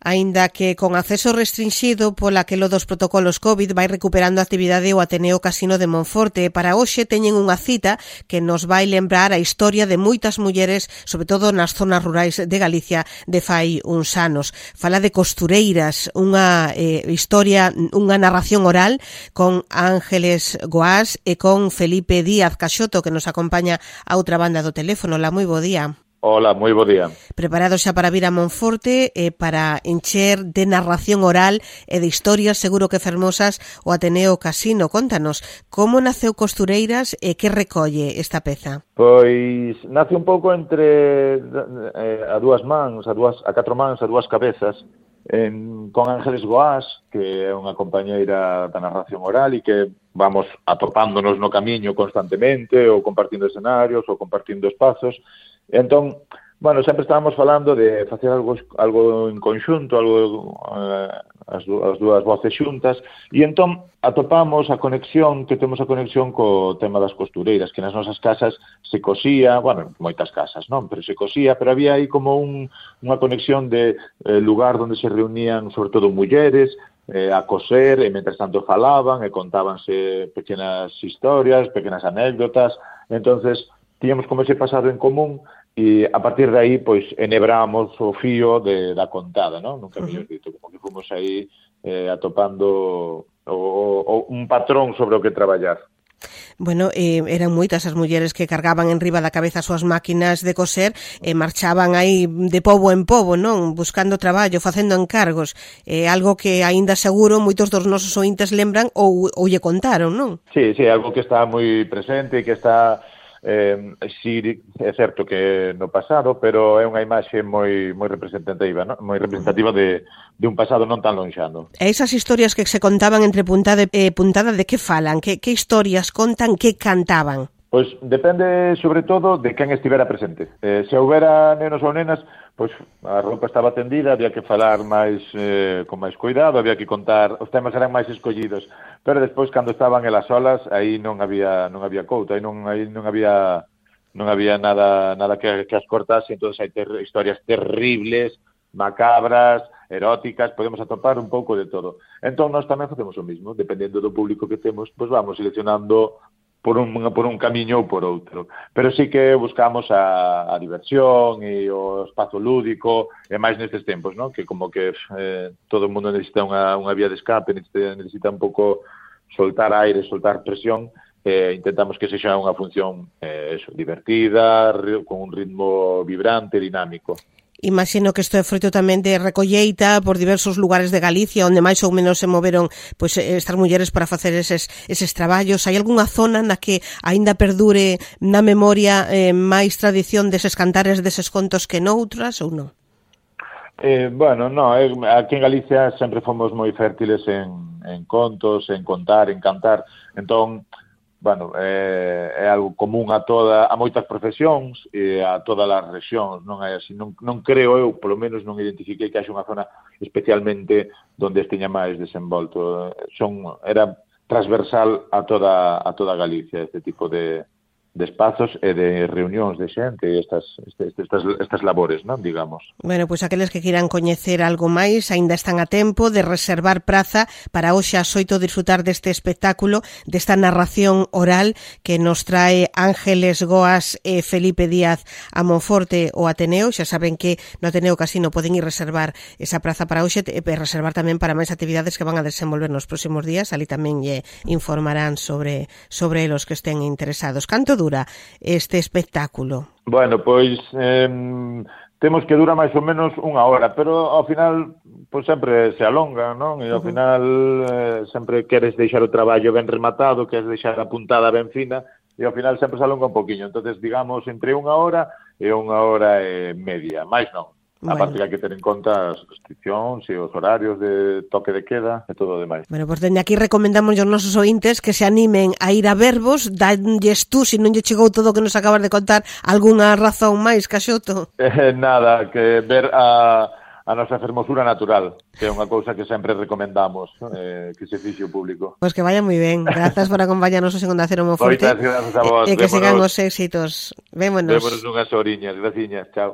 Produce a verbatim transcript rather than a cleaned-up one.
Aínda que con acceso restrinxido pola que lo dos protocolos COVID vai recuperando a actividade o Ateneo Casino de Monforte. Para hoxe teñen unha cita que nos vai lembrar a historia de moitas mulleres, sobre todo nas zonas rurais de Galicia de fai uns anos. Fala de costureiras, unha eh, historia, unha narración oral con Ángeles Goás e con Felipe Díaz Caxoto, que nos acompaña a outra banda do teléfono. La, moi bo día. Hola, moi bo día. Preparados xa para vir a Monforte e eh, para encher de narración oral e de historias seguro que fermosas o Ateneo Casino. Contanos, como naceu Costureiras e que recolle esta peza? Pois nace un pouco entre eh, a dúas mans, a, dúas, a catro mans, a dúas cabezas, en, con Ángeles Goás, que é unha compañeira da narración oral e que vamos atopándonos no camiño constantemente, ou compartindo escenarios, ou compartindo espazos. Entón, bueno, sempre estábamos falando de facer algo algo en conxunto, algo eh, as, as dúas voces xuntas, e entón atopamos a conexión, que temos a conexión co tema das costureiras, que nas nosas casas se cosía, bueno, moitas casas, non, pero se cosía, pero había aí como un, unha conexión de eh, lugar onde se reunían, sobre todo, mulleres, eh, a coser, e mentres tanto falaban, e contábanse pequenas historias, pequenas anécdotas. Entonces tiñamos como ese pasado en común, e a partir de aí, pois, enhebramos o fío de, da contada, non? Nunca mellor dito, como que fomos aí eh, atopando o, o, un patrón sobre o que traballar. Bueno, eh, eran moitas as mulleres que cargaban en riba da cabeza as súas máquinas de coser e marchaban aí de pobo en pobo, non? Buscando traballo, facendo encargos. É eh, algo que aínda seguro moitos dos nosos ointes lembran ou, ou lle contaron, non? Sí, sí, algo que está moi presente e que está... Eh, sí, é certo que no pasado, pero é unha imaxe moi moi representativa, ¿no? Moi representativa de, de un pasado non tan lonxano. E esas historias que se contaban entre puntada e eh, puntada, de que falan? Que, que historias contan, que cantaban? Pois depende, sobre todo, de quen estivera presente. Eh, se houbera nenos ou nenas, pois a roupa estaba tendida, había que falar máis eh, con máis cuidado, había que contar, os temas eran máis escollidos. Pero despois, cando estaban elas solas, aí non había non había couta, aí non aí non había non había nada nada que, que as cortase. Entonces hai ter, historias terribles, macabras, eróticas, podemos atopar un pouco de todo. Entón nós tamén facemos o mismo, dependendo do público que temos, pois vamos seleccionando por un, por un camiño ou por outro. Pero sí que buscamos a, a diversión e o espazo lúdico, e máis nestes tempos, ¿no? Que como que eh, todo o mundo necesita unha, unha vía de escape, necesita, necesita un pouco soltar aire, soltar presión, e eh, intentamos que sexa unha función eh, eso, divertida, con un ritmo vibrante, dinámico. Imagino que isto é froito tamén de recolleita por diversos lugares de Galicia onde máis ou menos se moveron pois, estas mulleres para facer eses, eses traballos. Hai algunha zona na que aínda perdure na memoria eh, máis tradición deses cantares, deses contos que noutras ou non? Eh, bueno, no, eh, aquí en Galicia sempre fomos moi fértiles en, en contos, en contar, en cantar. Entón, bueno, eh, é algo común a toda a moitas profesións e a todas as rexións, non é así, non, non creo eu, polo menos non identifiquei que haxe unha zona especialmente onde esteña máis desenvolto. Son era transversal a toda a toda Galicia este tipo de de espazos e de reunións de xente e estas, estas, estas labores, non, digamos. Bueno, pois pues aqueles que queiran coñecer algo máis aínda están a tempo de reservar praza para hoxe ás oito disfrutar deste espectáculo, desta narración oral que nos trae Ángeles Goás e Felipe Díaz a Monforte o Ateneo. Xa saben que no Ateneo Casino poden ir reservar esa praza para hoxe e reservar tamén para máis actividades que van a desenvolver nos próximos días. Ali tamén lle informarán sobre, sobre los que estén interesados. Canto dura este espectáculo? Bueno, pois eh, temos que dura máis ou menos unha hora, pero ao final pois sempre se alonga, non? E ao uh-huh. final eh, sempre queres deixar o traballo ben rematado, queres deixar a puntada ben fina, e ao final sempre se alonga un poquinho. Entonces, digamos, entre unha hora e unha hora e media, máis non. A parte que hai que ter en conta as restriccións e os horarios de toque de queda e todo o demais. Bueno, pois pues dende aquí recomendamos aos nosos ointes que se animen a ir a vervos, danlles tú, se non lle chegou todo o que nos acabas de contar, algunha razón máis, Caxoto? Eh, nada, que ver a, a nosa fermosura natural, que é unha cousa que sempre recomendamos, eh, que se fixe o público. Pois pues que vaya moi ben. Grazas por acompañarnos en Onda Cero Monforte. Moitas grazas a vos. E que sigan os éxitos. Vémonos. Vémonos unhas horiñas. Graciñas. Chao.